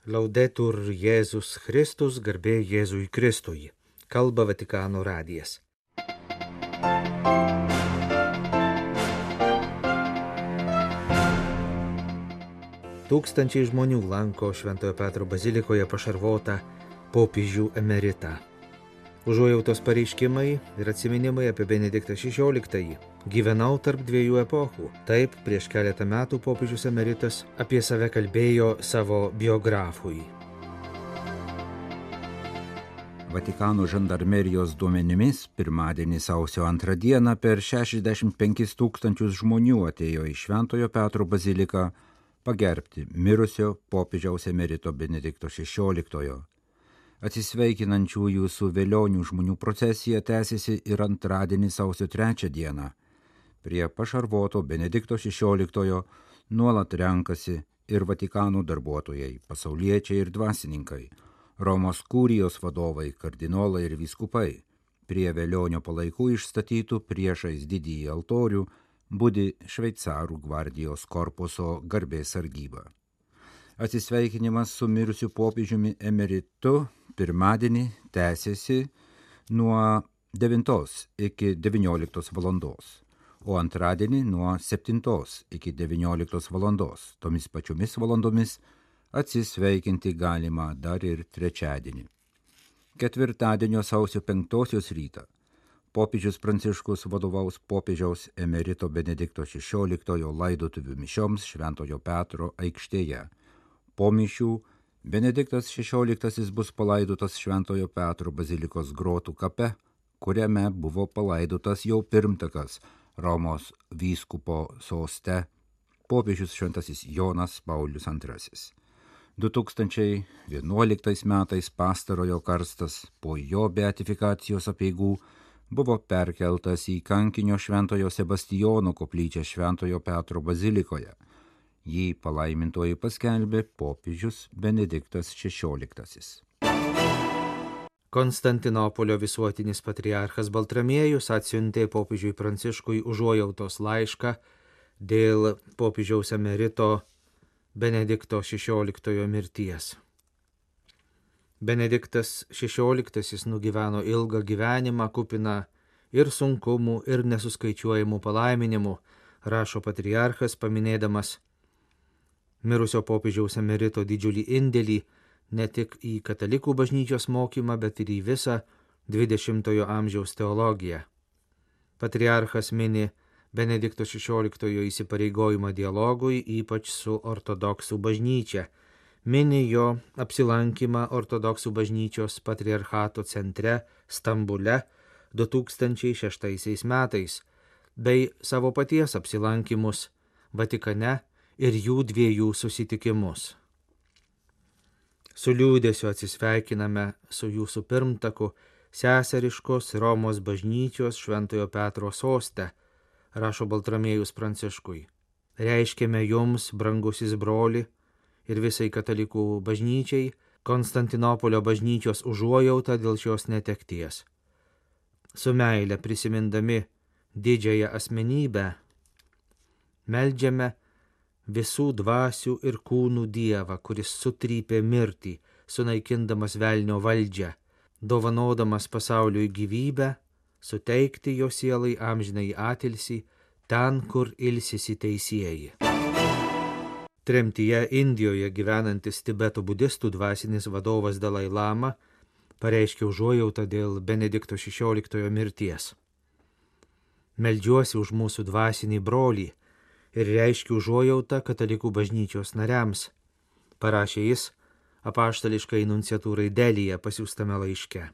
Laudetur Jėzus Kristus, garbė Jėzui Kristui. Kalba Vatikano radijas. Tūkstančiai žmonių lanko Šventojo Petro bazilikoje pašarvotą popiežių emeritą. Užuojautos pareiškimai ir atsiminimai apie Benediktą XVI. Gyvenau tarp dviejų epochų. Taip, prieš keletą metų popiežius emeritas apie save kalbėjo savo biografui. Vatikano žandarmerijos duomenimis pirmadienį sausio 2 dieną per 65 tūkstančius žmonių atėjo į Šventojo Petro baziliką pagerbti mirusio popiežiaus emerito Benedikto XVI. Atsisveikinančiųjų su vėlionių žmonių procesija tęsiasi ir antradienį sausio 3 dieną. Prie pašarvoto Benedikto XVI nuolat renkasi ir Vatikano darbuotojai, pasauliečiai ir dvasininkai, Romos kurijos vadovai, kardinolai ir vyskupai. Prie vėlionio palaikų išstatytų priešais didįjį altorių budi šveicarų gvardijos korpuso garbės sargyba. Atsisveikinimas su mirusiu popiežiumi emeritu pirmadienį tęsiasi nuo 9 iki 19 valandos, o antradienį nuo 7 iki 19 valandos. Tomis pačiomis valandomis atsisveikinti galima dar ir trečiadienį. Ketvirtadienio sausio 5 rytą popiežius Pranciškus vadovaus popiežiaus emerito Benedikto XVI laidotuvių mišioms Šventojo Petro aikštėje. Po mišių Benediktas XVI bus palaidotas Šventojo Petro bazilikos grotų kape, kuriame buvo palaidotas jau pirmtakas Romos vyskupo soste popiežius šventasis Jonas Paulius II. 2011 metais pastarojo karstas po jo beatifikacijos apeigų buvo perkeltas į kankinio Šventojo Sebastijono koplyčią Šventojo Petro bazilikoje. Jį palaimintoji paskelbė popiežius Benediktas XVI. Konstantinopolio visuotinis patriarchas Baltramiejus atsiuntė popiežiui Pranciškui užuojautos laišką dėl popiežiaus emerito Benedikto XVI mirties. Benediktas XVI nugyveno ilgą gyvenimą kupiną ir sunkumų, ir nesuskaičiuojamų palaiminimų, rašo patriarchas, paminėdamas mirusio popiežiaus emerito didžiulį indėlį ne tik į katalikų bažnyčios mokymą, bet ir į visą 20-ojo amžiaus teologiją. Patriarchas mini Benedikto XVI įsipareigojimą dialogui, ypač su ortodoksų bažnyčia. Mini jo apsilankymą ortodoksų bažnyčios patriarchato centre Stambule 2006 metais, bei savo paties apsilankymus Vatikane ir jų dviejų susitikimus. Su liūdėsiu atsisveikiname su jūsų pirmtaku seseriškos Romos bažnyčios Šventojo Petro soste, rašo Baltramiejus Pranciškui. Reiškiame jums, brangusis broli, ir visai katalikų bažnyčiai, Konstantinopolio bažnyčios užuojautą dėl šios netekties. Su meile prisimindami didžiąją asmenybę, meldžiame visų dvasių ir kūnų Dievą, kuris sutrypė mirtį, sunaikindamas velnio valdžią, dovanodamas pasauliui gyvybę, suteikti jo sielai amžinai atilsį ten, kur ilsisi teisieji. Tremtyje Indijoje gyvenantis Tibeto budistų dvasinis vadovas Dalai Lama pareiškė užuojautą dėl Benedikto XVI mirties. Meldžiuosi už mūsų dvasinį brolį ir reiškiu užuojautą katalikų bažnyčios nariams, parašė jis apaštališkai nunciatūrai Delyje pasiųstame laiške.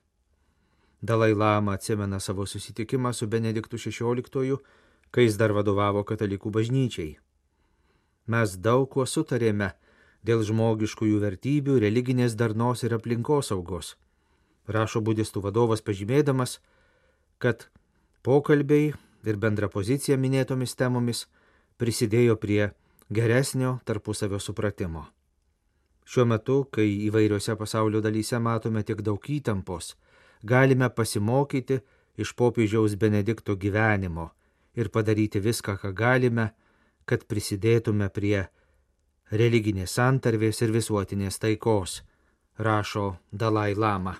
Dalai Lama atsimena savo susitikimą su Benediktu XVI, kai jis dar vadovavo katalikų bažnyčiai. Mes daug kuo sutarėme dėl žmogiškųjų vertybių, religinės darnos ir aplinkosaugos, rašo budistų vadovas pažymėdamas, kad pokalbiai ir bendra pozicija minėtomis temomis prisidėjo prie geresnio tarpusavio supratimo. Šiuo metu, kai įvairiose pasaulio dalyse matome tiek daug įtampos, galime pasimokyti iš popiežiaus Benedikto gyvenimo ir padaryti viską, ką galime, kad prisidėtume prie religinės santarvės ir visuotinės taikos, rašo Dalai Lama.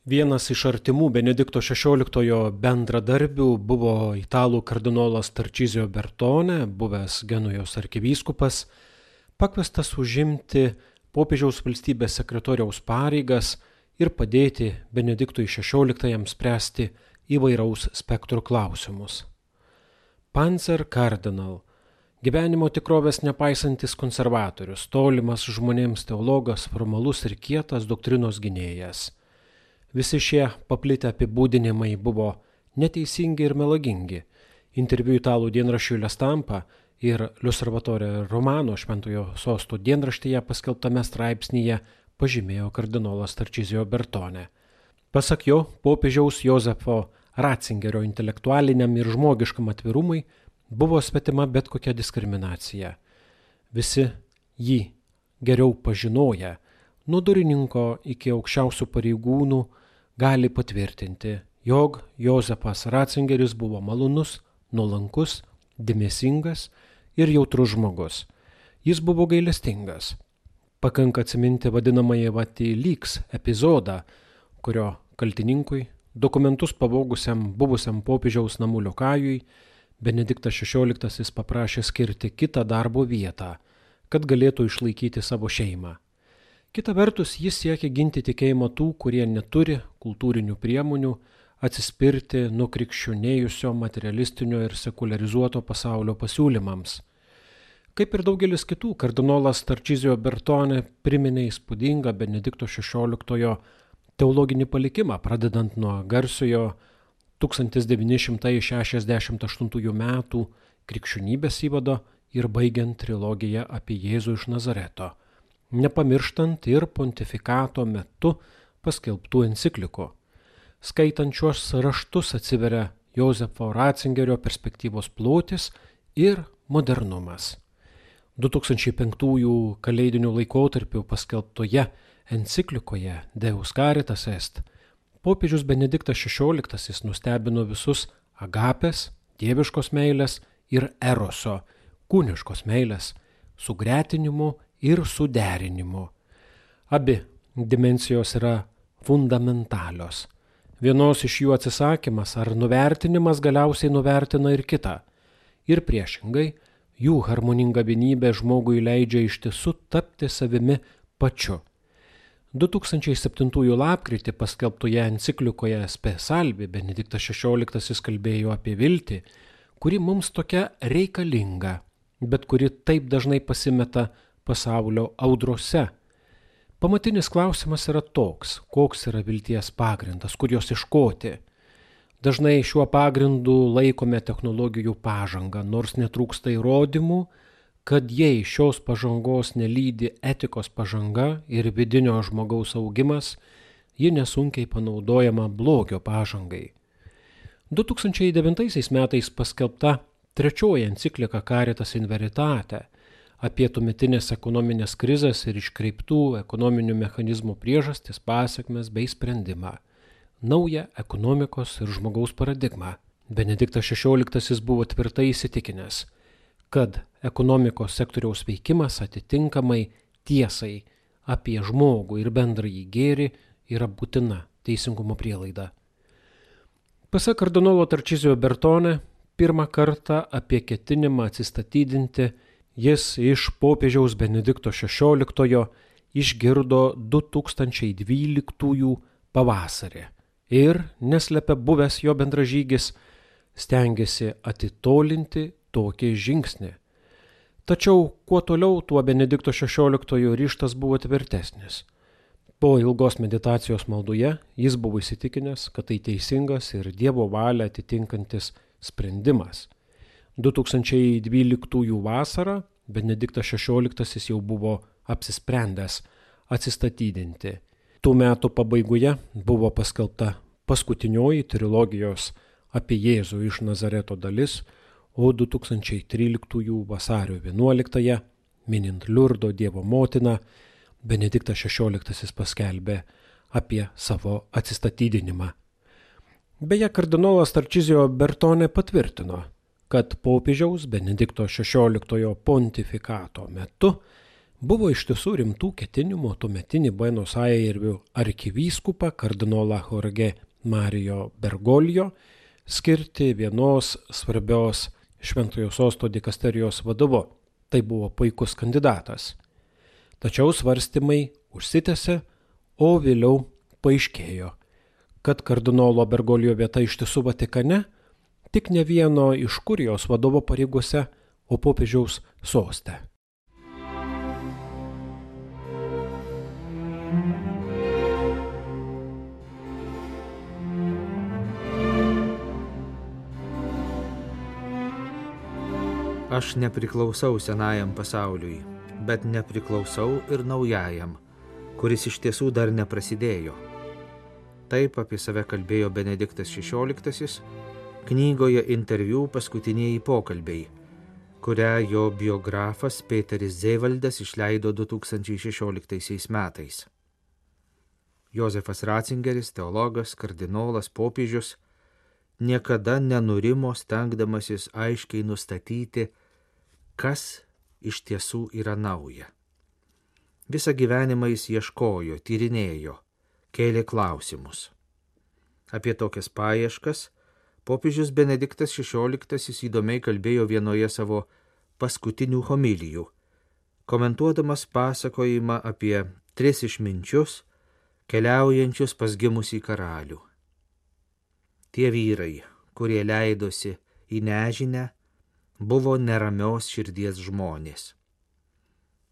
Vienas iš artimų Benedikto XVI bendradarbių buvo italų kardinolas Tarčizio Bertone, buvęs Genujos arkivyskupas, pakviestas užimti popiežiaus valstybės sekretoriaus pareigas ir padėti Benediktui XVI spręsti įvairaus spektro klausimus. Panzer Cardinal, gyvenimo tikrovės nepaisantis konservatorius, tolimas žmonėms teologas, formalus ir kietas doktrinos gynėjas. Visi šie paplitę apibūdinimai buvo neteisingi ir melagingi. Interviu italų dienraščiui La Stampa ir L'Osservatore Romano Šventojo Sosto dienraštyje paskelbtame straipsnyje pažymėjo kardinolas Tarčizio Bertone. Pasak jo, popiežiaus Jozefo Ratzingerio intelektualiniam ir žmogiškam atvirumui buvo svetima bet kokia diskriminacija. Visi jį geriau pažinoję, nuo durininko iki aukščiausių pareigūnų, gali patvirtinti, jog Jozefas Ratzingeris buvo malonus, nuolankus, dėmesingas ir jautrus žmogus. Jis buvo gailestingas. Pakanka atsiminti vadinamąjį Vatyliks epizodą, kurio kaltininkui, dokumentus pavogusiam buvusiam popiežiaus namų liokajui, Benediktas XVI paprašė skirti kitą darbo vietą, kad galėtų išlaikyti savo šeimą. Kita vertus, jis siekia ginti tikėjimą tų, kurie neturi kultūrinių priemonių atsispirti nuo krikščionėjusio materialistinio ir sekularizuoto pasaulio pasiūlymams. Kaip ir daugelis kitų, kardinolas Tarčizio Bertone priminė įspūdingą Benedikto XVI teologinį palikimą, pradedant nuo garsiojo 1968 metų krikščionybės įvado ir baigiant trilogiją apie Jėzų iš Nazareto, nepamirštant ir pontifikato metu paskelbtų enciklikų. Skaitant šiuos raštus atsiveria Jozefo Ratzingerio perspektyvos plotis ir modernumas. 2005 kalėdinių laikotarpių paskelbtoje enciklikoje Deus Caritas Est popiežius Benediktas XVI nustebino visus agapės, dieviškos meilės ir eroso, kūniškos meilės, sugretinimu ir suderinimu. Abi dimensijos yra fundamentalios. Vienos iš jų atsisakymas ar nuvertinimas galiausiai nuvertina ir kitą. Ir priešingai, jų harmoninga vienybė žmogui leidžia iš tiesų tapti savimi pačiu. 2007 lapkritį paskelbtoje enciklikoje Spe Salvi Benediktas XVI kalbėjo apie viltį, kuri mums tokia reikalinga, bet kuri taip dažnai pasimeta pasaulio audrose. Pamatinis klausimas yra toks, koks yra vilties pagrindas, kur jos ieškoti. Dažnai šiuo pagrindu laikome technologijų pažangą, nors netrūksta įrodymų, kad jei šios pažangos nelydi etikos pažanga ir vidinio žmogaus augimas, ji nesunkiai panaudojama blogio pažangai. 2009 metais paskelbta trečioji enciklika Caritas in Veritate apie tuometinės ekonominės krizės ir iškreiptų ekonominių mechanizmų priežastis, pasekmes bei sprendimą. Naują ekonomikos ir žmogaus paradigmą. Benediktas XVI buvo tvirtai įsitikinęs, kad ekonomikos sektoriaus veikimas atitinkamai tiesai apie žmogų ir bendrąjį gėrį yra būtina teisingumo prielaida. Pasak kardinolo Tarčizio Bertone, pirmą kartą apie ketinimą atsistatydinti jis iš popiežiaus Benedikto XVI išgirdo 2012 pavasarį ir, neslepia buvęs jo bendražygis, stengėsi atitolinti tokį žingsnį. Tačiau kuo toliau, tuo Benedikto XVI ryžtas buvo tvirtesnis. Po ilgos meditacijos maldoje jis buvo įsitikinęs, kad tai teisingas ir Dievo valią atitinkantis sprendimas. 2012 vasarą Benediktas XVI jau buvo apsisprendęs atsistatydinti. Tų metų pabaigoje buvo paskelbta paskutinioji trilogijos apie Jėzų iš Nazareto dalis, o 2013 vasario 11, minint Liurdo Dievo motiną, Benediktas XVI paskelbė apie savo atsistatydinimą. Beje, kardinolas Tarčizio Bertone patvirtino, kad popiežiaus Benedikto XVI pontifikato metu buvo iš tiesų rimtų ketinimų tuometinį Buenos Airių arkivyskupą kardinolą Jorge Mario Bergoglio skirti vienos svarbios Šventojo sosto dikasterijos vadovu. Tai buvo puikus kandidatas. Tačiau svarstymai užsitęsė, o vėliau paaiškėjo, kad kardinolo Bergoglio vieta iš tiesų Vatikane, tik ne vieno iš kurijos vadovo pareigose, o popiežiaus soste. Aš nepriklausau senajam pasauliui, bet nepriklausau ir naujajam, kuris iš tiesų dar neprasidėjo. Taip apie save kalbėjo Benediktas XVI knygoje Interviu paskutiniai pokalbiai, kurią jo biografas Peteris Zevaldas išleido 2016 metais. Jozefas Ratzingeris, teologas, kardinolas, popiežius, niekada nenurimo stengdamasis aiškiai nustatyti, kas iš tiesų yra nauja. Visą gyvenimą jis ieškojo, tyrinėjo, kėlė klausimus. Apie tokias paieškas popiežius Benediktas XVI įdomiai kalbėjo vienoje savo paskutinių homilijų, komentuodamas pasakojimą apie 3 išminčius, keliaujančius pas gimusį karalių. Tie vyrai, kurie leidosi į nežinę, buvo neramios širdies žmonės.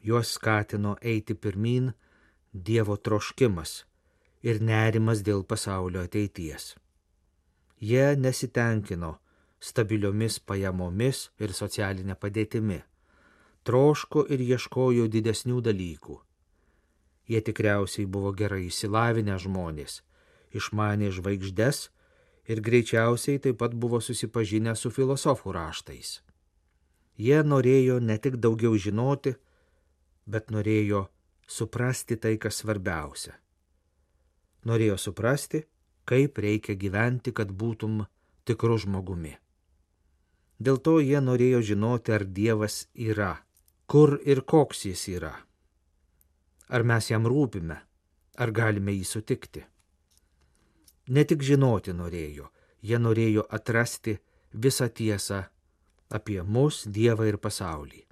Juos skatino eiti pirmyn Dievo troškimas ir nerimas dėl pasaulio ateities. Jie nesitenkino stabiliomis pajamomis ir socialinė padėtimi, troško ir ieškojo didesnių dalykų. Jie tikriausiai buvo gerai išsilavinę žmonės, išmanė žvaigždes ir greičiausiai taip pat buvo susipažinę su filosofų raštais. Jie norėjo ne tik daugiau žinoti, bet norėjo suprasti tai, kas svarbiausia. Norėjo suprasti, kaip reikia gyventi, kad būtum tikru žmogumi. Dėl to jie norėjo žinoti, ar Dievas yra, kur ir koks jis yra. Ar mes jam rūpime, ar galime jį sutikti. Ne tik žinoti norėjo, jie norėjo atrasti visą tiesą apie mus, Dievą ir pasaulį.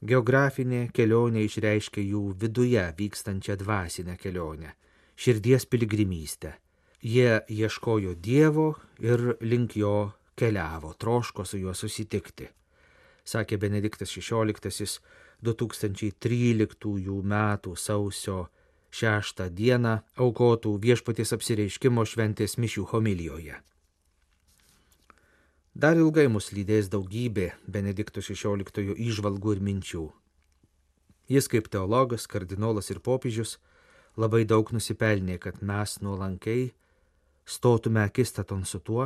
Geografinė kelionė išreiškia jų viduje vykstančią dvasinę kelionę, širdies piligrimystę. Jie ieškojo Dievo ir link jo keliavo, troško su juo susitikti, sakė Benediktas XVI 2013 metų sausio 6 dieną aukotų Viešpaties apsireiškimo šventės mišių homilijoje. Dar ilgai mus lydės daugybė Benedikto XVI įžvalgų ir minčių. Jis kaip teologas, kardinolas ir popiežius labai daug nusipelnė, kad mes nuolankiai stotume akistaton su tuo,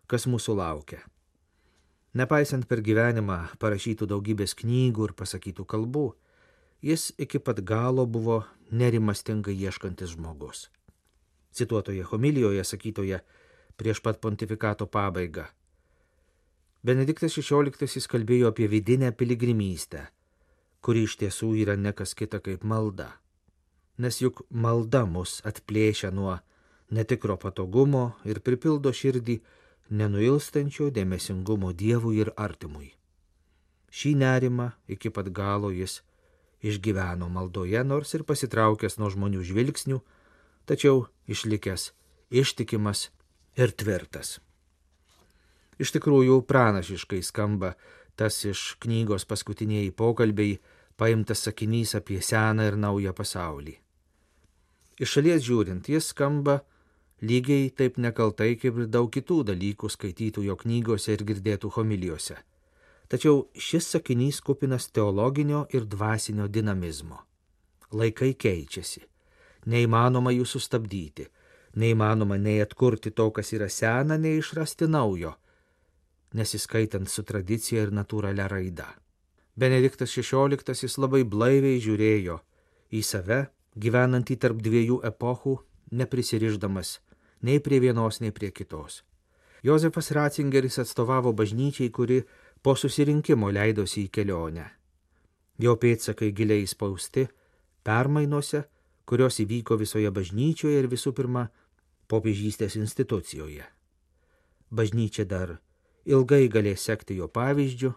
kas mūsų laukia. Nepaisant per gyvenimą parašytų daugybės knygų ir pasakytų kalbų, jis iki pat galo buvo nerimastingai ieškantis žmogus. Cituotoje homilijoje sakytoje prieš pat pontifikato pabaigą, Benediktas XVI kalbėjo apie vidinę piligrimystę, kuri iš tiesų yra nekas kita kaip malda. Nes juk malda mus atplėšia nuo netikro patogumo ir pripildo širdį nenuilstančio dėmesingumo Dievui ir artimui. Šį nerimą iki pat galo jis išgyveno maldoje, nors ir pasitraukęs nuo žmonių žvilgsnių, tačiau išlikęs ištikimas ir tvirtas. Iš tikrųjų pranašiškai skamba tas iš knygos paskutiniai pokalbiai paimtas sakinys apie seną ir naują pasaulį. Iš šalies žiūrint, jis skamba lygiai taip nekaltai kaip ir daug kitų dalykų skaitytų jo knygose ir girdėtų homilijose. Tačiau šis sakinys kupinas teologinio ir dvasinio dinamizmo. Laikai keičiasi, neįmanoma jų sustabdyti, neįmanoma nei atkurti to, kas yra sena, nei išrasti naujo, nesiskaitant su tradicija ir natūralia raida. Benediktas XVI labai blaiviai žiūrėjo į save, gyvenantį tarp 2 epochų, neprisirišdamas nei prie vienos, nei prie kitos. Jozefas Ratzingeris atstovavo bažnyčiai, kuri po susirinkimo leidosi į kelionę. Jo pėdsakai giliai įspausti permainose, kurios įvyko visoje bažnyčioje ir visų pirma popiežystės institucijoje. Bažnyčia dar ilgai galės sekti jo pavyzdžiu,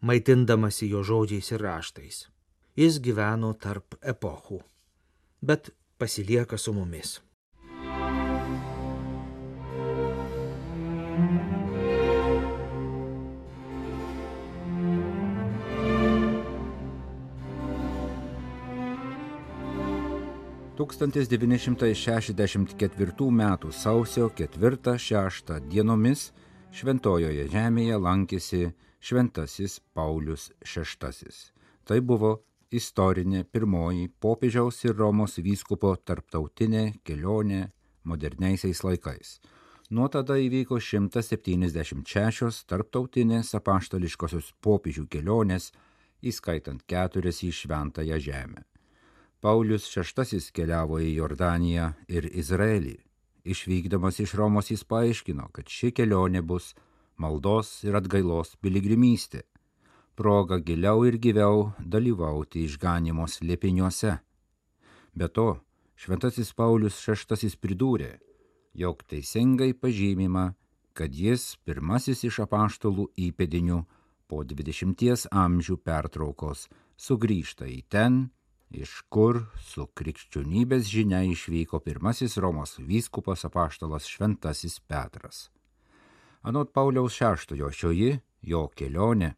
maitindamasi jo žodžiais ir raštais. Jis gyveno tarp epochų, bet pasilieka su mumis. Tūkstantis 964 metų sausio 4-6 dienomis Šventojoje žemėje lankėsi Šventasis Paulius VI. Tai buvo istorinė pirmoji popiežiaus ir Romos vyskupo tarptautinė kelionė moderniaisiais laikais. Nuo tada įvyko 176 tarptautinės apaštališkosios popiežių kelionės, įskaitant 4 į Šventąją žemę. Paulius VI keliavo į Jordaniją ir Izraelį. Išvykdamas iš Romos jis paaiškino, kad ši kelionė bus maldos ir atgailos piligrimystė, proga giliau ir gyviau dalyvauti išganymo slėpiniuose. Be to, Šventasis Paulius VI pridūrė, jog teisingai pažymima, kad jis pirmasis iš apaštalų įpėdinių po 20 amžių pertraukos sugrįžta į ten, iš kur su krikščionybės žinia išvyko pirmasis Romos vyskupas apaštalas Šventasis Petras. Anot Pauliaus VI šioji jo kelionė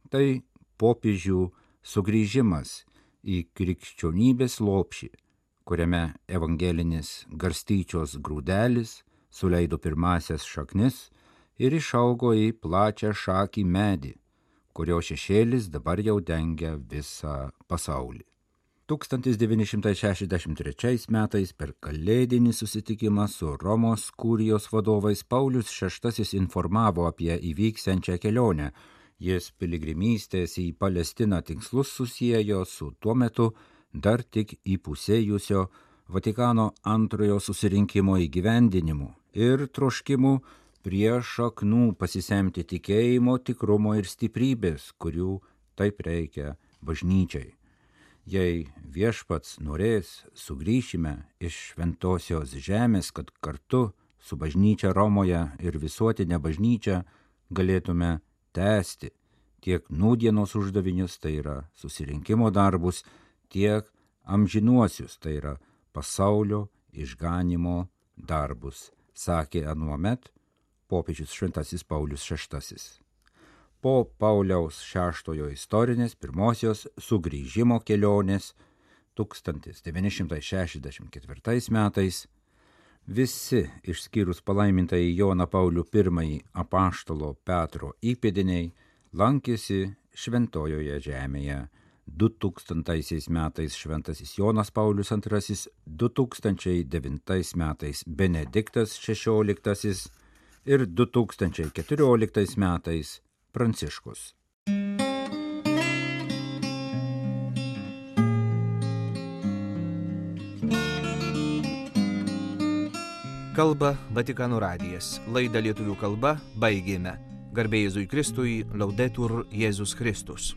tai popiežių sugrįžimas į krikščionybės lopšį, kuriame evangelinis garstyčios grūdelis suleido pirmasias šaknis ir išaugo į plačią šakį medį, kurio šešėlis dabar jau dengia visą pasaulį. 1963 metais per kalėdinį susitikimą su Romos kurijos vadovais Paulius VI informavo apie įvyksiančią kelionę. Jis piligrimystės į Palestiną tikslus susiejo su tuo metu dar tik įpusėjusio Vatikano antrojo susirinkimo įgyvendinimu ir troškimu prie šaknų pasisemti tikėjimo, tikrumo ir stiprybės, kurių taip reikia bažnyčiai. Jei viešpats norės, sugrįšime iš šventosios žemės, kad kartu su bažnyčia Romoje ir visuotinė bažnyčia galėtume tęsti tiek nūdienos uždavinius, tai yra susirinkimo darbus, tiek amžinuosius, tai yra pasaulio išganymo darbus, sakė anuomet popiežius Šventasis Paulius VI. Po Pauliaus VI istorinės pirmosios sugrįžimo kelionės 1964 metais visi išskyrus palaimintąjį Joną Paulių I apaštalo Petro įpėdiniai lankėsi Šventojoje žemėje. 2000 metais Šventasis Jonas Paulius II, 2009 metais Benediktas XVI ir 2014 metais Pranciškus. Kalba Vatikano radijas. Laidą lietuvių kalba baigėme. Garbė Jėzui Kristui, Laudetur Jėzus Kristus.